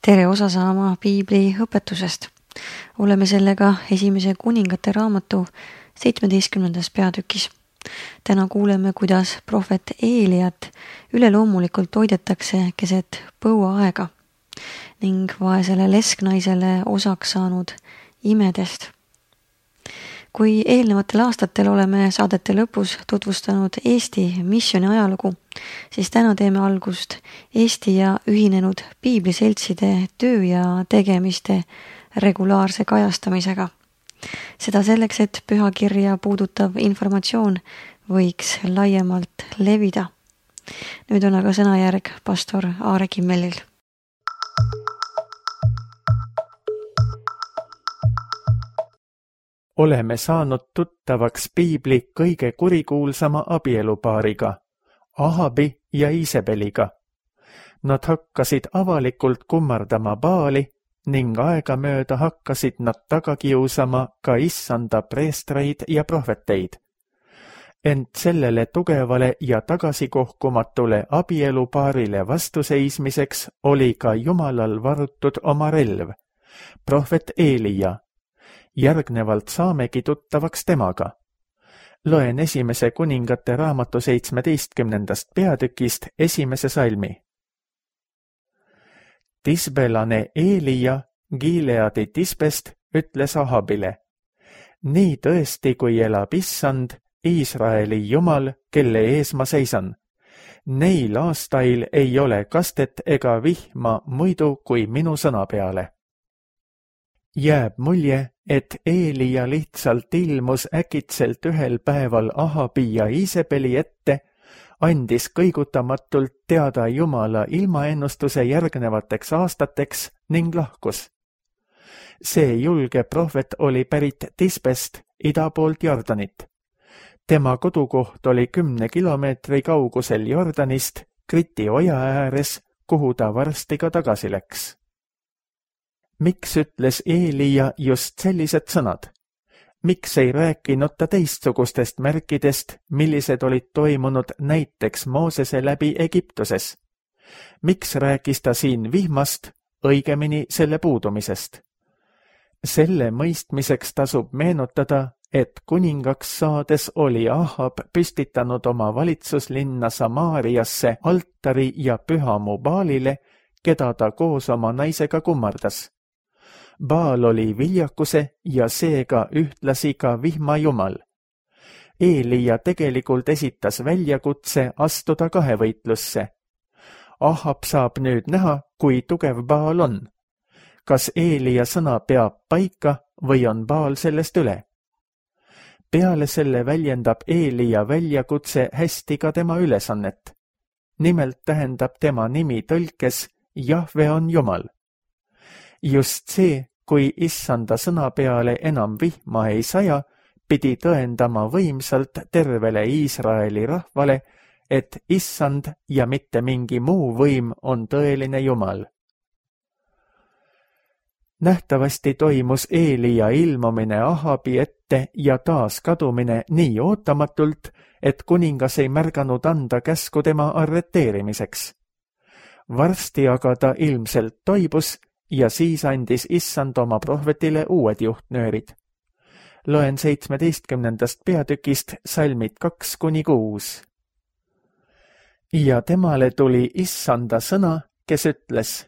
Tere osa saama piibli õpetusest. Oleme sellega esimese kuningate raamatu 17. peatükis. Täna kuuleme, kuidas prohvet Eeliat üleloomulikult toidetakse keset põuaaega ning vaesele lesknaisele osaks saanud imedest. Kui eelnevatel aastatel oleme saadete lõpus tutvustanud Eesti missiooni ajalugu, siis täna teeme algust Eesti ja ühinenud piibliseltside töö ja tegemiste regulaarse kajastamisega. Seda selleks, et pühakirja puudutav informatsioon võiks laiemalt levida. Nüüd on aga sõnajärg pastor Aare Kimmelil. Oleme saanud tuttavaks piibli kõige kurikuulsama abielupaariga, Ahabi ja Iisebeliga. Nad hakkasid avalikult kummardama Baali ning aegamööda hakkasid nad taga kiusama ka issanda preestreid ja prohveteid. Ent sellele tugevale ja tagasikohkumatule abielupaarile vastuseismiseks oli ka Jumalal varutud oma relv, prohvet Eelia. Järgnevalt saamegi tuttavaks temaga. Loen esimese kuningate raamatu 17. peatükist esimese salmi. Tisbelane Eelia Gileadi Tisbest ütles Ahabile: nii tõesti, kui elab issand, Iisraeli Jumal, kelle ees ma seisan. Neil aastail ei ole kastet ega vihma muidu kui minu sõna peale. Jääb mulje, et Eelia lihtsalt ilmus äkitselt ühel päeval Ahabi ja Iisebeli ette, andis kõigutamatult teada Jumala ilmaennustuse järgnevateks aastateks ning lahkus. See julge prohvet oli pärit Tisbest ida poolt Jordanit. Tema kodukoht oli 10 kilomeetri kaugusel Jordanist Kriti oja ääres, kuhu ta varsti ka tagasi läks. Miks ütles Eelia just sellised sõnad? Miks ei rääkinud ta teistsugustest märkidest, millised olid toimunud näiteks Moosese läbi Egiptuses? Miks rääkis ta siin vihmast, õigemini selle puudumisest? Selle mõistmiseks tasub meenutada, et kuningaks saades oli Ahab püstitanud oma valitsuslinna Samaariasse altari ja pühamu Baalile, keda ta koos oma naisega kummardas. Baal oli viljakuse ja seega ühtlasi ka vihmajumal. Eelia tegelikult esitas väljakutse astuda kahevõitlusse. Ahab saab nüüd näha, kui tugev Baal on. Kas Eelia sõna peab paika või on Baal sellest üle? Peale selle väljendab Eelia väljakutse hästi ka tema ülesannet. Nimelt tähendab tema nimi tõlkes Jahve on Jumal. Just see, kui issanda sõna peale enam vihma ei saja, pidi tõendama võimsalt tervele Iisraeli rahvale, et issand ja mitte mingi muu võim on tõeline Jumal. Nähtavasti toimus Eelia ilmumine Ahabi ette ja taas kadumine nii ootamatult, et kuningas ei märganud anda käsku tema arreteerimiseks. Varsti aga ta ilmselt toibus ja siis andis issand oma prohvetile uued juhtnöörid. Loen 17. peatükist salmid 2-6. Ja temale tuli issanda sõna, kes ütles: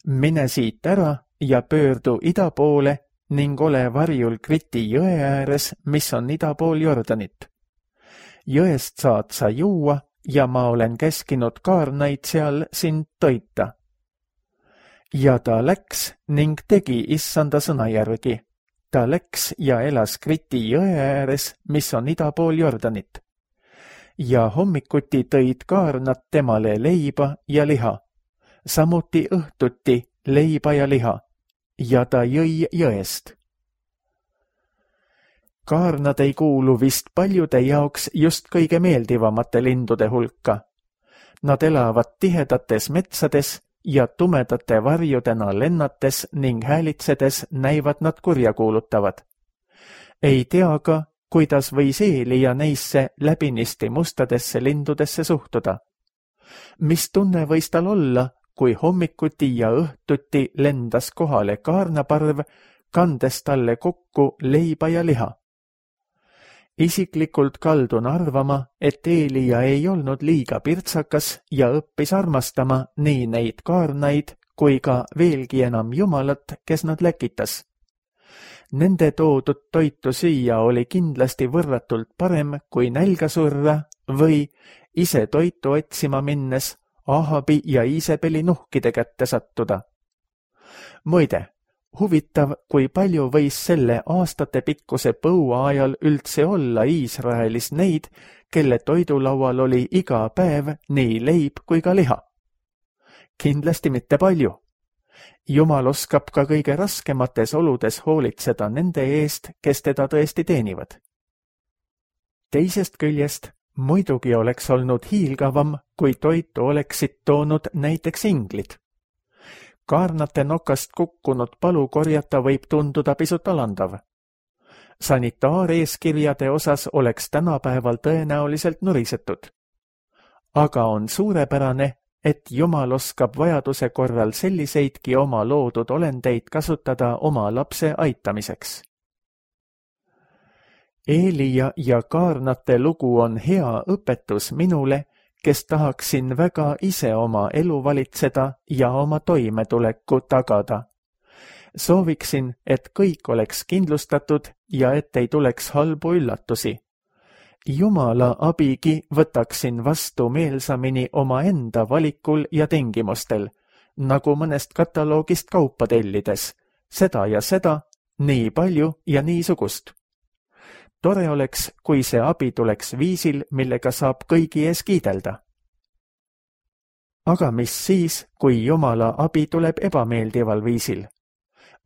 mine siit ära ja pöördu ida poole ning ole varjul Kriti jõe ääres, mis on ida pool Jordanit. Jõest saad sa juua ja ma olen käskinud kaarnaid seal sind toita. Ja ta läks ning tegi issanda sõna järgi. Ta läks ja elas Kriti jõe ääres, mis on ida pool Jordanit. Ja hommikuti tõid kaarnad temale leiba ja liha, samuti õhtuti leiba ja liha, ja ta jõi jõest. Kaarnad ei kuulu vist paljude jaoks just kõige meeldivamate lindude hulka. Nad elavad tihedates metsades ja tumedate varjudena lennates ning häälitsedes näivad nad kurjakuulutavad. Ei tea ka, kuidas võis Eelia neisse läbinisti mustadesse lindudesse suhtuda. Mis tunne võis tal olla, kui hommikuti ja õhtuti lendas kohale kaarnaparv, kandes talle kokku leiba ja liha. Isiklikult kaldun arvama, et Eelia ei olnud liiga pirtsakas ja õppis armastama nii neid kaarnaid kui ka veelgi enam Jumalat, kes nad läkitas. Nende toodud toitu süüa oli kindlasti võrratult parem kui nälga surra või ise toitu otsima minnes Ahabi ja Iisebeli nuhkide kätte sattuda. Muide, huvitav, kui palju võis selle aastatepikkuse põua ajal üldse olla Iisraelis neid, kelle toidulaual oli iga päev nii leib kui ka liha. Kindlasti mitte palju. Jumal oskab ka kõige raskemates oludes hoolitseda nende eest, kes teda tõesti teenivad. Teisest küljest muidugi oleks olnud hiilgavam, kui toitu oleksid toonud näiteks inglid. Kaarnate nokast kukkunud palu korjata võib tunduda pisut alandav. Sanitaareeskirjade osas oleks tänapäeval tõenäoliselt nurisetud. Aga on suurepärane, et Jumal oskab vajaduse korral selliseidki oma loodud olendeid kasutada oma lapse aitamiseks. Eelia ja kaarnate lugu on hea õpetus minule, kes tahaksin väga ise oma elu valitseda ja oma toimetuleku tagada. Sooviksin, et kõik oleks kindlustatud ja et ei tuleks halbu üllatusi. Jumala abigi võtaksin vastu meelsamini omaenda valikul ja tingimustel, nagu mõnest kataloogist kaupa tellides, seda ja seda, nii palju ja niisugust. Tore oleks, kui see abi tuleks viisil, millega saab kõigi ees kiidelda. Aga mis siis, kui Jumala abi tuleb ebameeldival viisil?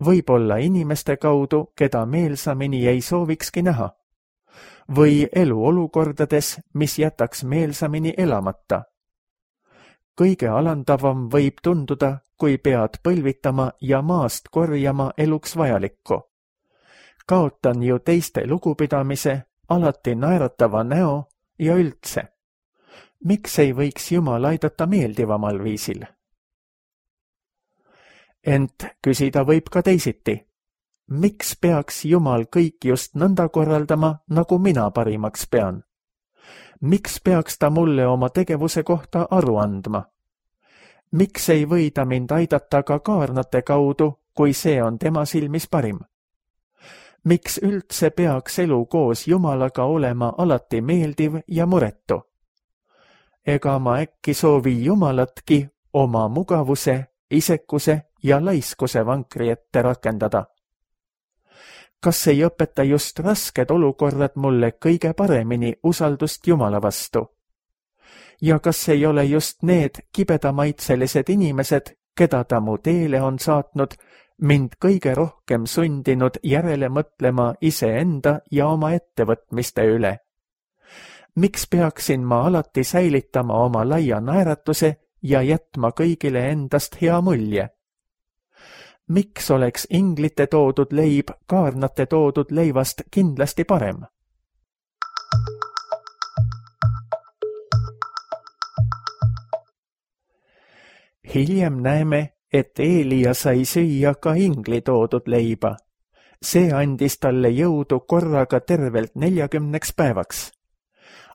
Võib-olla inimeste kaudu, keda meelsamini ei soovikski näha. Või eluolukordades, mis jätaks meelsamini elamata. Kõige alandavam võib tunduda, kui pead põlvitama ja maast korjama eluks vajalikku. Kaotan ju teiste lugupidamise, alati naeratava näo ja üldse. Miks ei võiks Jumal aidata meeldivamal viisil? Ent küsida võib ka teisiti. Miks peaks Jumal kõik just nõnda korraldama, nagu mina parimaks pean? Miks peaks ta mulle oma tegevuse kohta aru andma? Miks ei või ta mind aidata ka kaarnate kaudu, kui see on tema silmis parim? Miks üldse peaks elu koos Jumalaga olema alati meeldiv ja muretu? Ega ma äkki soovi Jumalatki oma mugavuse, isekuse ja laiskuse vankri ette rakendada? Kas ei õpeta just rasked olukorrad mulle kõige paremini usaldust Jumala vastu? Ja kas ei ole just need kibedamaitselised inimesed, keda ta mu teele on saatnud, mind kõige rohkem sundinud järele mõtlema iseenda ja oma ettevõtmiste üle? Miks peaksin ma alati säilitama oma laia naeratuse ja jätma kõigile endast hea mulje? Miks oleks inglite toodud leib kaarnate toodud leivast kindlasti parem? Hiljem näeme, et Eelia sai süüa ka ingli toodud leiba. See andis talle jõudu korraga tervelt 40 päevaks.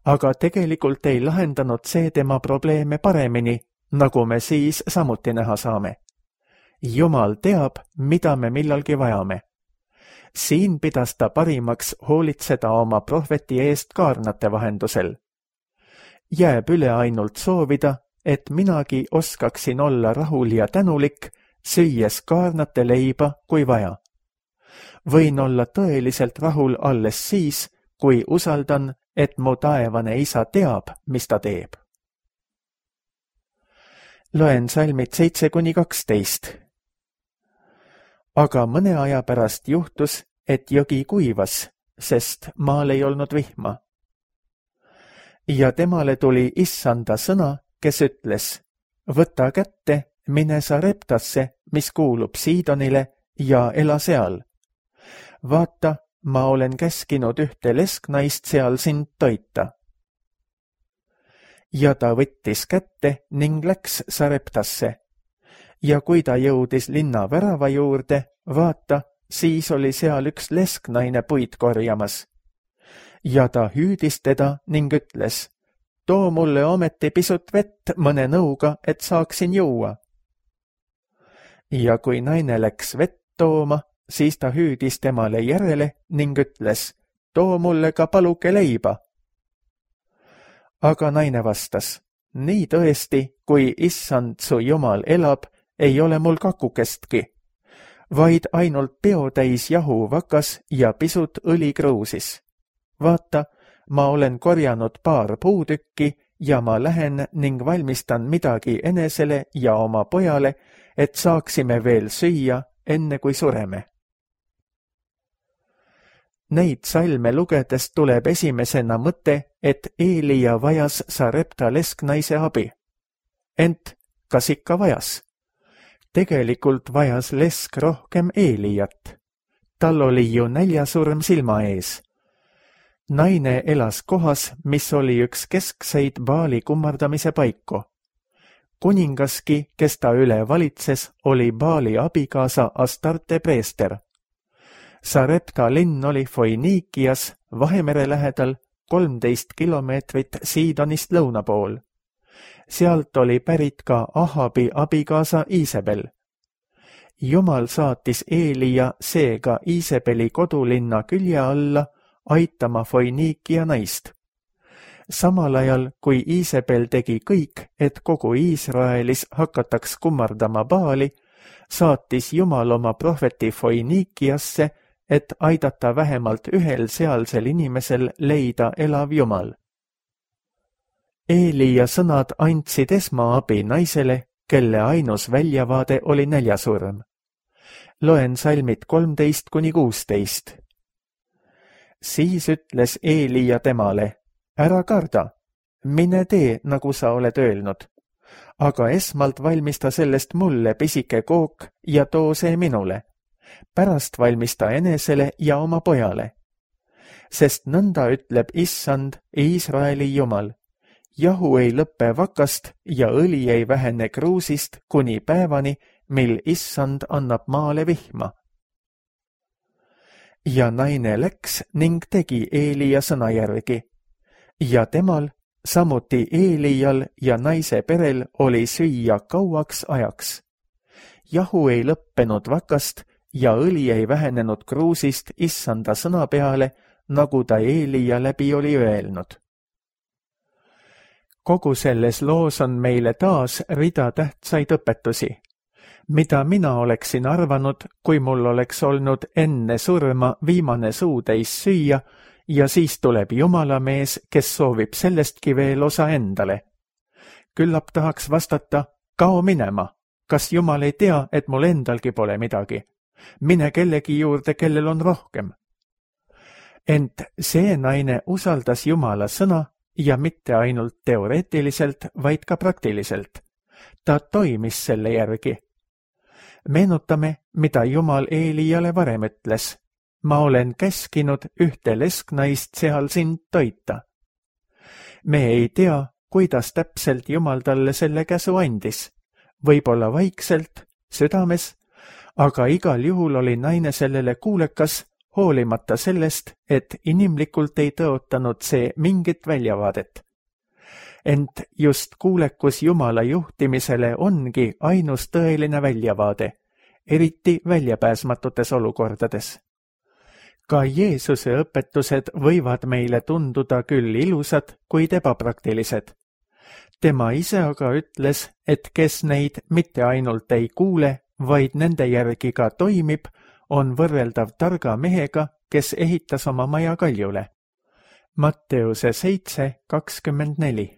Aga tegelikult ei lahendanud see tema probleeme paremini, nagu me siis samuti näha saame. Jumal teab, mida me millalgi vajame. Siin pidas ta parimaks hoolitseda oma prohveti eest kaarnate vahendusel. Jääb üle ainult soovida, et minagi oskaksin olla rahul ja tänulik, süües kaarnate leiba, kui vaja. Võin olla tõeliselt rahul alles siis, kui usaldan, et mu taevane isa teab, mis ta teeb. Loen salmid 7-12. Aga mõne aja pärast juhtus, et jõgi kuivas, sest maal ei olnud vihma. Ja temale tuli issanda sõna, kes ütles, võta kätte, mine Sareptasse, mis kuulub Siidonile, ja ela seal. Vaata, ma olen käskinud ühte lesknaist seal sind toita. Ja ta võttis kätte ning läks Sareptasse ja kui ta jõudis linna värava juurde, vaata, siis oli seal üks lesknaine puid korjamas. Ja ta hüüdis teda ning ütles, too mulle ometi pisut vett mõne nõuga, et saaksin juua. Ja kui naine läks vett tooma, siis ta hüüdis temale järele ning ütles, too mulle ka paluke leiba. Aga naine vastas, nii tõesti, kui issand su Jumal elab, ei ole mul kakukestki, vaid ainult peotäis jahu vakas ja pisut õli kruusis. Vaata, ma olen korjanud paar puutükki ja ma lähen ning valmistan midagi enesele ja oma pojale, et saaksime veel süüa, enne kui sureme. Neid salme lugedes tuleb esimesena mõte, et Eelia vajas Sarepta lesknaise abi. Ent kas ikka vajas? Tegelikult vajas lesk rohkem Eeliat. Tal oli ju näljasurm silma ees. Naine elas kohas, mis oli üks keskseid Baali kummardamise paiku. Kuningaski, kes ta üle valitses, oli Baali abikaasa Astarte preester. Sarepta linn oli Foiniikias, Vahemere lähedal, 13 kilomeetrit Siidonist lõuna pool. Sealt oli pärit ka Ahabi abikaasa Iisebel. Jumal saatis Eelia seega Iisebeli kodulinna külje alla aitama Foiniikia naist. Samal ajal, kui Iisebel tegi kõik, et kogu Iisraelis hakataks kummardama Baali, saatis Jumal oma prohveti Foiniikiasse, et aidata vähemalt ühel sealsel inimesel leida elav Jumal. Eelia sõnad andsid esmaabi naisele, kelle ainus väljavaade oli näljasurm. Loen salmid 13–16. Siis ütles Eelia temale, ära karda, mine tee, nagu sa oled öelnud, aga esmalt valmista sellest mulle pisike kook ja too see minule. Pärast valmista enesele ja oma pojale. Sest nõnda ütleb issand, Iisraeli Jumal. Jahu ei lõppe vakast ja õli ei vähene kruusist kuni päevani, mil issand annab maale vihma. Ja naine läks ning tegi Eelia sõna järgi. Ja temal, samuti Eelial ja naise perel oli süüa kauaks ajaks. Jahu ei lõppenud vakast ja õli ei vähenenud kruusist issanda sõna peale, nagu ta Eelia läbi oli öelnud. Kogu selles loos on meile taas rida tähtsaid õpetusi, mida mina oleksin arvanud, kui mul oleks olnud enne surma viimane suutäis süüa ja siis tuleb jumalamees, kes soovib sellestki veel osa endale. Küllap tahaks vastata, kao minema, kas Jumal ei tea, et mul endalgi pole midagi? Mine kellegi juurde, kellel on rohkem. Ent see naine usaldas Jumala sõna ja mitte ainult teoreetiliselt, vaid ka praktiliselt. Ta toimis selle järgi. Meenutame, mida Jumal Eeliale varem ütles. Ma olen käskinud ühte lesknaist seal sind toita. Me ei tea, kuidas täpselt Jumal talle selle käsu andis. Võib-olla vaikselt, südames, aga igal juhul oli naine sellele kuulekas, hoolimata sellest, et inimlikult ei tõotanud see mingit väljavaadet. Ent just kuulekus Jumala juhtimisele ongi ainus tõeline väljavaade, eriti väljapääsmatutes olukordades. Ka Jeesuse õpetused võivad meile tunduda küll ilusad, kuid ebapraktilised. Tema ise aga ütles, et kes neid mitte ainult ei kuule, vaid nende järgi ka toimib, on võrreldav targa mehega, kes ehitas oma maja kaljule. Matteuse 7:24.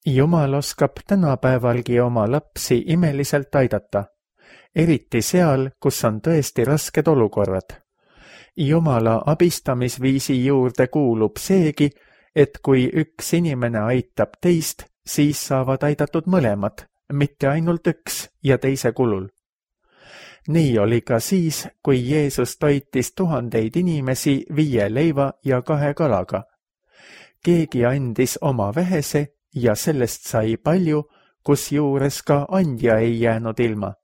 Jumal oskab tänapäevalgi oma lapsi imeliselt aidata, eriti seal, kus on tõesti rasked olukorrad. Jumala abistamisviisi juurde kuulub seegi, et kui üks inimene aitab teist, siis saavad aidatud mõlemad, mitte ainult üks ja teise kulul. Nii oli ka siis, kui Jeesus toitis 1000 inimesi 5 leiva ja 2 kalaga. keegi andis oma vähese ja sellest sai palju, kusjuures ka andja ei jäänud ilma.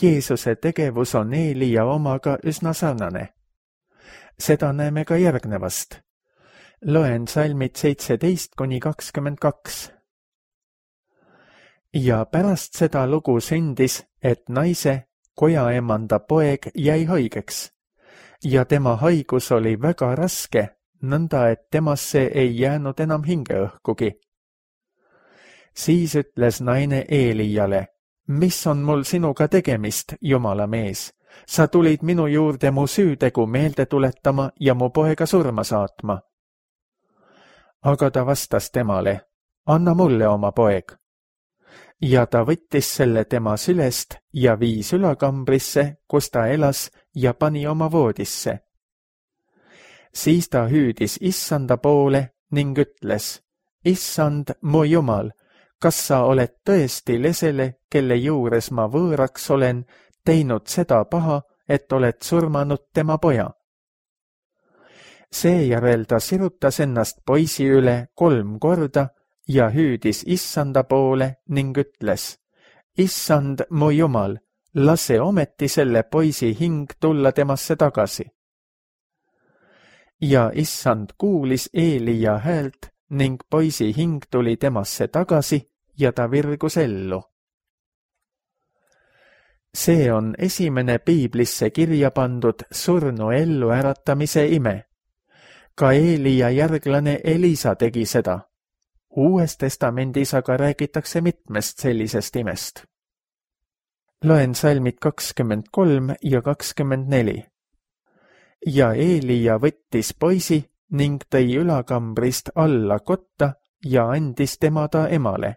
Jeesuse tegevus on Eelia omaga üsna sarnane. Seda näeme ka järgnevast. Loen salmid 17–22. Ja pärast seda lugu sündis, et naise, kojaemanda poeg jäi haigeks ja tema haigus oli väga raske, nõnda et temasse ei jäänud enam hingeõhkugi. Siis ütles naine Eeliale, mis on mul sinuga tegemist, Jumala mees? Sa tulid minu juurde mu süütegu meelde tuletama ja mu poega surma saatma. Aga ta vastas temale, anna mulle oma poeg. Ja ta võttis selle tema sülest ja viis ülakambrisse, kus ta elas, ja pani oma voodisse. Siis ta hüüdis Issanda poole ning ütles, Issand, mu Jumal, kas sa oled tõesti lesele, kelle juures ma võõraks olen, teinud seda paha, et oled surmanud tema poja? Seejärel ta sirutas ennast poisi üle 3 korda ja hüüdis Issanda poole ning ütles, Issand, mu Jumal, lase ometi selle poisi hing tulla temasse tagasi. Ja Issand kuulis Eelia häält ning poisi hing tuli temasse tagasi ja ta virgus ellu. See on esimene piiblisse kirja pandud surnu ellu äratamise ime. Ka Eelia järglane Elisa tegi seda. Uues testamendis aga räägitakse mitmest sellisest imest. Loen salmid 23 ja 24. Ja Eelia võttis poisi ning tõi ülakambrist alla kotta ja andis tema ta emale.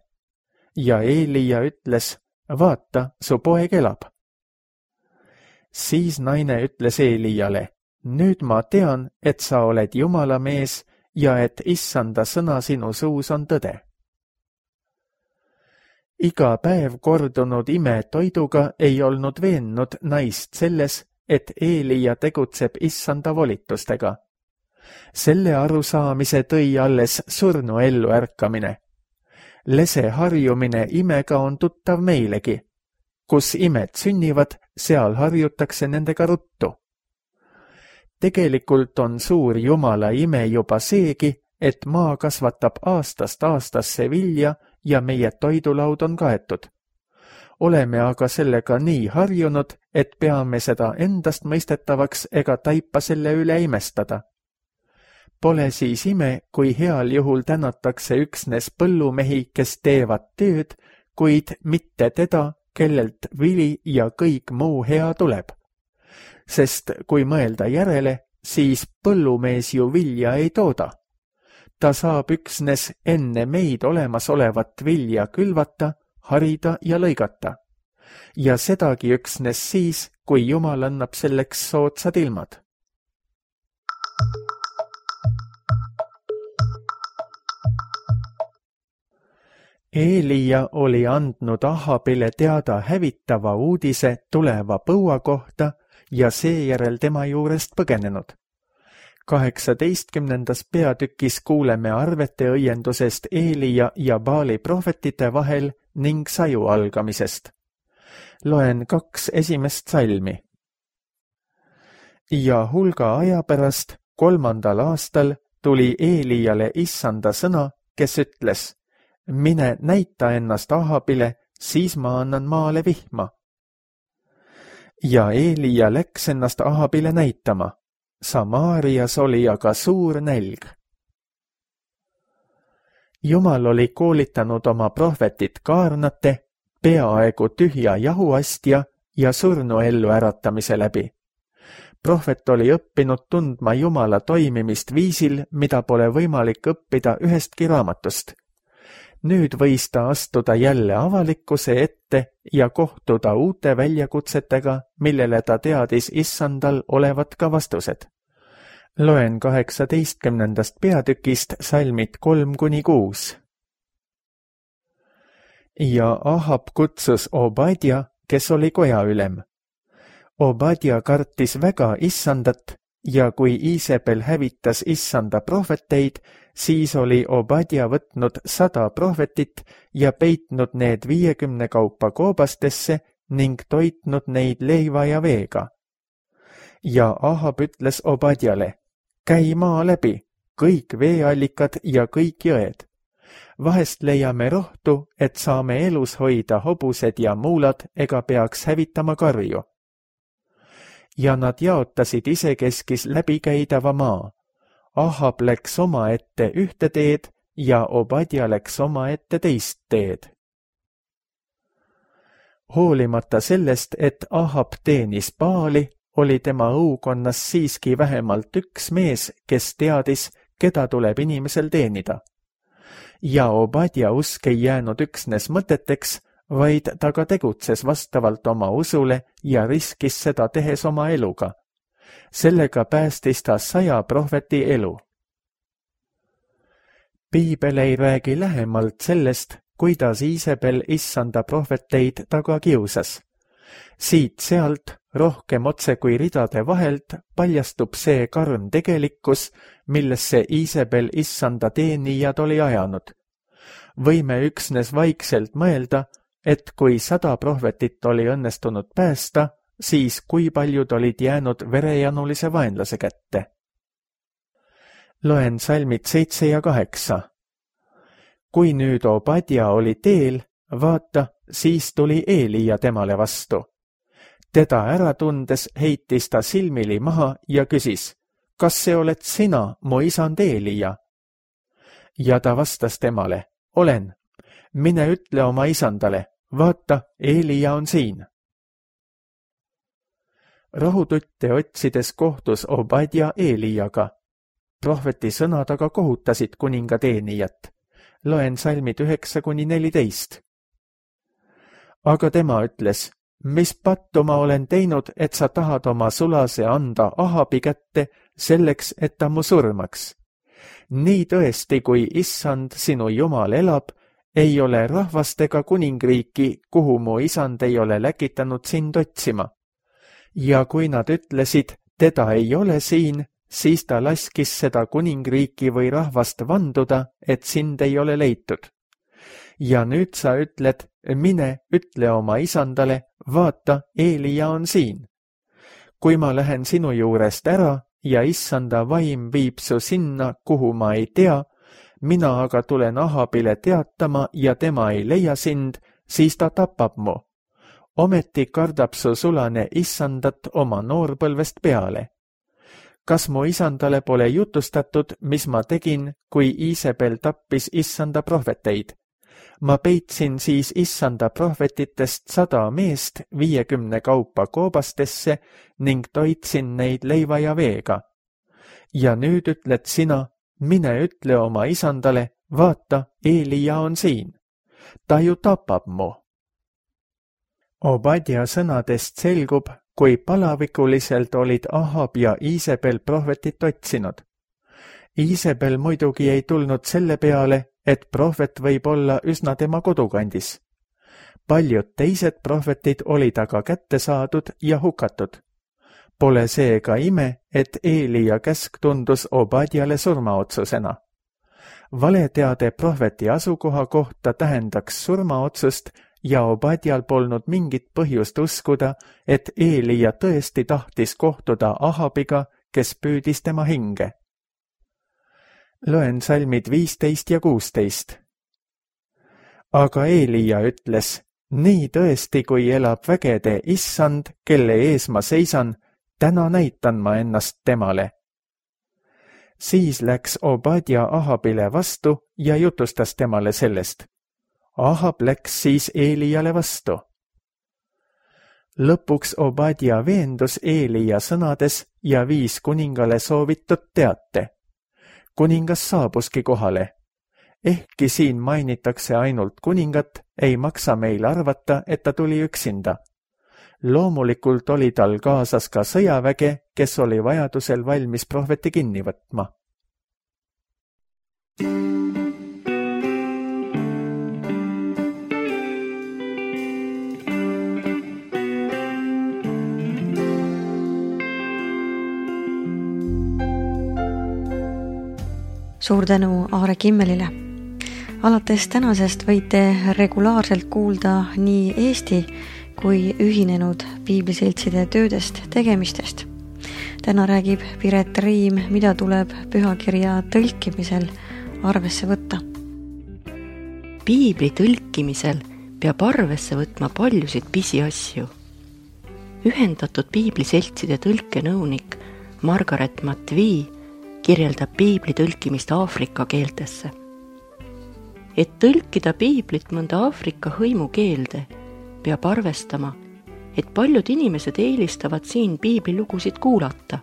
Ja Eelia ütles, vaata, su poeg elab. Siis naine ütles Eeliale, nüüd ma tean, et sa oled Jumala mees ja et Issanda sõna sinu suus on tõde. Iga päev kordunud ime toiduga ei olnud veennud naist selles, et Eelia tegutseb Issanda volitustega. Selle arusaamise tõi alles surnu ellu ärkamine. Lese harjumine imega on tuttav meilegi. Kus imed sünnivad, seal harjutakse nendega ruttu. Tegelikult on suur Jumala ime juba seegi, et maa kasvatab aastast aastasse vilja ja meie toidulaud on kaetud. Oleme aga sellega nii harjunud, et peame seda endast mõistetavaks ega taipa selle üle imestada. Pole siis ime, kui heal juhul tänatakse üksnes põllumehi, kes teevad tööd, kuid mitte teda, kellelt vili ja kõik muu hea tuleb. Sest kui mõelda järele, siis põllumees ju vilja ei tooda. Ta saab üksnes enne meid olemasolevat vilja külvata, harida ja lõigata. Ja sedagi üksnes siis, kui Jumal annab selleks soodsad ilmad. Eelia oli andnud Ahabile teada hävitava uudise tuleva põua kohta ja seejärel tema juurest põgenenud. 18. peatükis kuuleme arvete õiendusest Eelia ja Baali prohvetite vahel ning saju algamisest. Loen 2 esimest salmi. Ja hulga aja pärast 3. aastal tuli Eeliale Issanda sõna, kes ütles, mine näita ennast Ahabile, siis ma annan maale vihma. Ja Eelia läks ennast Ahabile näitama. Samaarias oli aga suur nälg. Jumal oli koolitanud oma prohvetit Kaarnate, peaaegu tühja jahuastja ja surnu ellu äratamise läbi. Prohvet oli õppinud tundma Jumala toimimist viisil, mida pole võimalik õppida ühestki raamatust. Nüüd võis ta astuda jälle avalikkuse ette ja kohtuda uute väljakutsetega, millele ta teadis Issandal olevat ka vastused. Loen 18. peatükist salmid 3–6. Ja Ahab kutsus Obadja, kes oli kojaülem. Obadja kartis väga Issandat ja kui Iisabel hävitas issanda prohveteid, siis oli Obadja võtnud 100 prohvetit ja peitnud need 50 kaupa koobastesse ning toitnud neid leiva ja veega. Ja Ahab ütles Obadjale, käi maa läbi, kõik veeallikad ja kõik jõed. Vahest leiame rohtu, et saame elus hoida hobused ja muulad ega peaks hävitama karju. Ja nad jaotasid isekeskis läbikäidava maa. Ahab läks omaette ühte teed ja Obadja läks omaette teist teed. Hoolimata sellest, et Ahab teenis Baali, oli tema õukonnas siiski vähemalt üks mees, kes teadis, keda tuleb inimesel teenida. Ja Obadja usk ei jäänud üksnes mõteteks, vaid ta ka tegutses vastavalt oma usule ja riskis seda tehes oma eluga. Sellega päästis ta 100 prohveti elu. Piibel ei räägi lähemalt sellest, kuidas Iisabel issanda prohveteid taga kiusas. Siit-sealt, rohkem otse kui ridade vahelt, paljastub see karm tegelikkus, millesse Iisabel issanda teenijad oli ajanud. Võime üksnes vaikselt mõelda, et kui 100 prohvetit oli õnnestunud päästa, siis kui paljud olid jäänud verejanulise vaenlase kätte. Loen salmid 7 ja 8. Kui nüüd Obadja oli teel, vaata, siis tuli Eelija temale vastu. Teda ära tundes heitis ta silmili maha ja küsis, kas see oled sina, mu isand Eelija? Ja ta vastas temale, olen. Mine ütle oma isandale, vaata, Eelija on siin. Rahututte otsides kohtus Obadja Eelijaga. Prohveti sõnad aga kohutasid kuninga teenijat. Loen salmid 9-14. Aga tema ütles, mis pattu ma olen teinud, et sa tahad oma sulase anda Ahabi kätte selleks, et ta mu surmaks. Nii tõesti, kui issand sinu Jumal elab, ei ole rahvast ega kuningriiki, kuhu mu isand ei ole läkitanud sind otsima. Ja kui nad ütlesid, teda ei ole siin, siis ta laskis seda kuningriiki või rahvast vanduda, et sind ei ole leitud. Ja nüüd sa ütled, mine, ütle oma isandale, vaata, Eelija on siin. Kui ma lähen sinu juurest ära ja issanda vaim viib su sinna, kuhu ma ei tea, mina aga tulen Ahabile teatama ja tema ei leia sind, siis ta tapab mu. Ometi kardab su sulane issandat oma noorpõlvest peale. Kas mu isandale pole jutustatud, mis ma tegin, kui Iisabel tappis issanda prohveteid? Ma peitsin siis issanda prohvetitest 100 meest 50 kaupa koobastesse ning toitsin neid leiva ja veega. Ja nüüd ütled sina, mine ütle oma isandale, vaata, Eelija on siin. Ta ju tapab mu. Obadja sõnadest selgub, kui palavikuliselt olid Ahab ja Iisabel prohvetit otsinud. Iisabel muidugi ei tulnud selle peale, et prohvet võib olla üsna tema kodukandis. Paljud teised prohvetid olid aga kätte saadud ja hukatud. Pole seega ime, et Eelija käsk tundus Obadjale surmaotsusena. Valeteade prohveti asukoha kohta tähendaks surmaotsust ja Obadjal polnud mingit põhjust uskuda, et Eelija tõesti tahtis kohtuda Ahabiga, kes püüdis tema hinge. Loen salmid 15 ja 16. Aga Eelija ütles, nii tõesti, kui elab vägede issand, kelle ees ma seisan, täna näitan ma ennast temale. Siis läks Obadja Ahabile vastu ja jutustas temale sellest. Ahab läks siis Eelijale vastu. Lõpuks Obadja veendus Eelija sõnades ja viis kuningale soovitud teate. Kuningas saabuski kohale. Ehkki siin mainitakse ainult kuningat, ei maksa meil arvata, et ta tuli üksinda. Loomulikult oli tal kaasas ka sõjaväge, kes oli vajadusel valmis prohveti kinni võtma. suur tänu Aare Kimmelile. Alates tänasest võite regulaarselt kuulda nii Eesti kui ühinenud piibliseltside töödest, tegemistest. Täna räägib Piret Riim, mida tuleb pühakirja tõlkimisel arvesse võtta. Piibli tõlkimisel peab arvesse võtma paljusid pisiasju. Ühendatud piibliseltside tõlkenõunik Margaret Matvii kirjeldab piibli tõlkimist Aafrika keeltesse. Et tõlkida piiblit mõnda Aafrika hõimukeelde, peab arvestama, et paljud inimesed eelistavad siin piiblilugusid kuulata,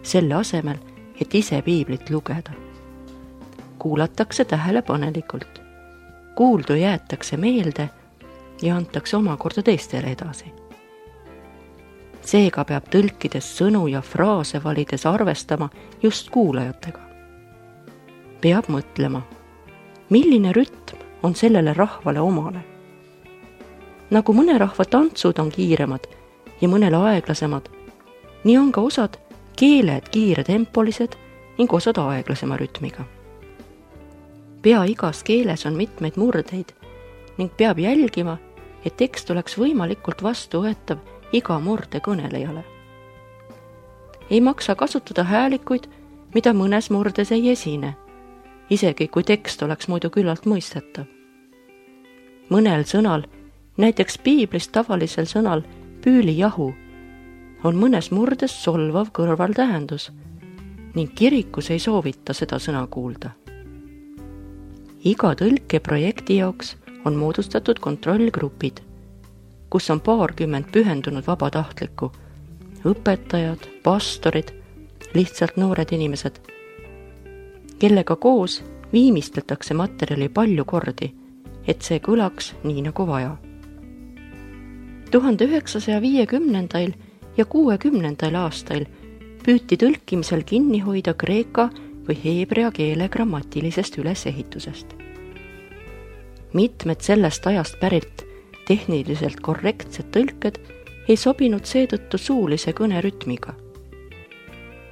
selle asemel, et ise piiblit lugeda. Kuulatakse tähelepanelikult, kuuldu jäetakse meelde ja antakse omakorda teistele edasi. Seega peab tõlkides sõnu ja fraase valides arvestama just kuulajatega. Peab mõtlema, milline rütm on sellele rahvale omale. Nagu mõne rahva tantsud on kiiremad ja mõnele aeglasemad, nii on ka osad keeled kiiretempolised ning osad aeglasema rütmiga. Pea igas keeles on mitmeid murdeid ning peab jälgima, et tekst oleks võimalikult vastuvõetav iga murde kõnelejale. Ei maksa kasutada häälikuid, mida mõnes murdes ei esine, isegi kui tekst oleks muidu küllalt mõistetav. Mõnel sõnal, näiteks piiblis tavalisel sõnal püülijahu, on mõnes murdes solvav kõrvaltähendus ning kirikus ei soovita seda sõna kuulda. Iga tõlkeprojekti jaoks on moodustatud kontrollgrupid, kus on 20 pühendunud vabatahtlikku, õpetajad, pastorid, lihtsalt noored inimesed, kellega koos viimistletakse materjali palju kordi, et see kõlaks nii nagu vaja. 1950. ja 60. aastail püüti tõlkimisel kinni hoida kreeka või heebrea keele grammatilisest ülesehitusest. Mitmed sellest ajast pärit tehniliselt korrektsed tõlked ei sobinud seetõttu suulise kõne rütmiga.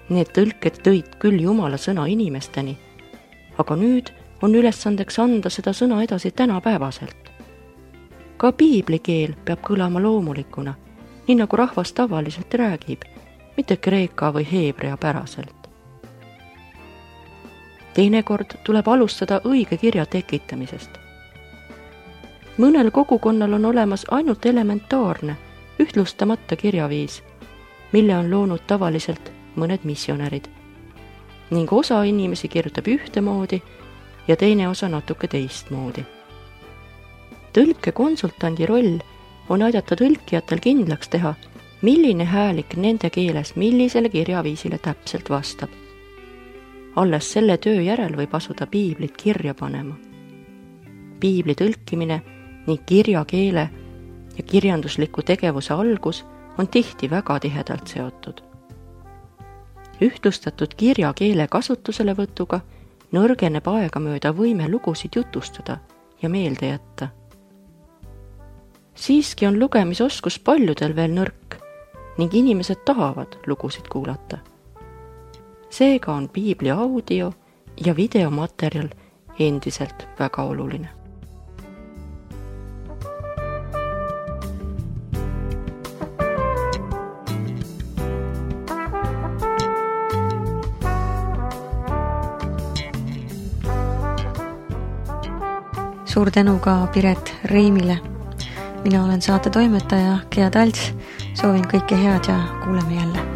Need tõlked tõid küll Jumala sõna inimesteni, aga nüüd on ülesandeks anda seda sõna edasi tänapäevaselt. Ka piiblikeel peab kõlama loomulikuna, nii nagu rahvas tavaliselt räägib, mitte kreeka või heebrea päraselt. Teinekord tuleb alustada õige kirja tekitamisest. Mõnel kogukonnal on olemas ainult elementaarne, ühtlustamata kirjaviis, mille on loonud tavaliselt mõned missionärid, ning osa inimesi kirjutab ühtemoodi ja teine osa natuke teistmoodi. Tõlkekonsultandi roll on aidata tõlkijatel kindlaks teha, milline häälik nende keeles millisele kirjaviisile täpselt vastab. Alles selle töö järel võib asuda piiblit kirja panema. Piibli tõlkimine ning kirjakeele ja kirjandusliku tegevuse algus on tihti väga tihedalt seotud. Ühtlustatud kirjakeele kasutuselevõtuga nõrgeneb aegamööda võime lugusid jutustada ja meelde jätta. Siiski on lugemisoskus paljudel veel nõrk ning inimesed tahavad lugusid kuulata. Seega on piibli audio ja videomaterjal endiselt väga oluline. Suur tänu ka Piret Riimile. Mina olen saate toimetaja Gea Talts. Soovin kõike head ja kuuleme jälle.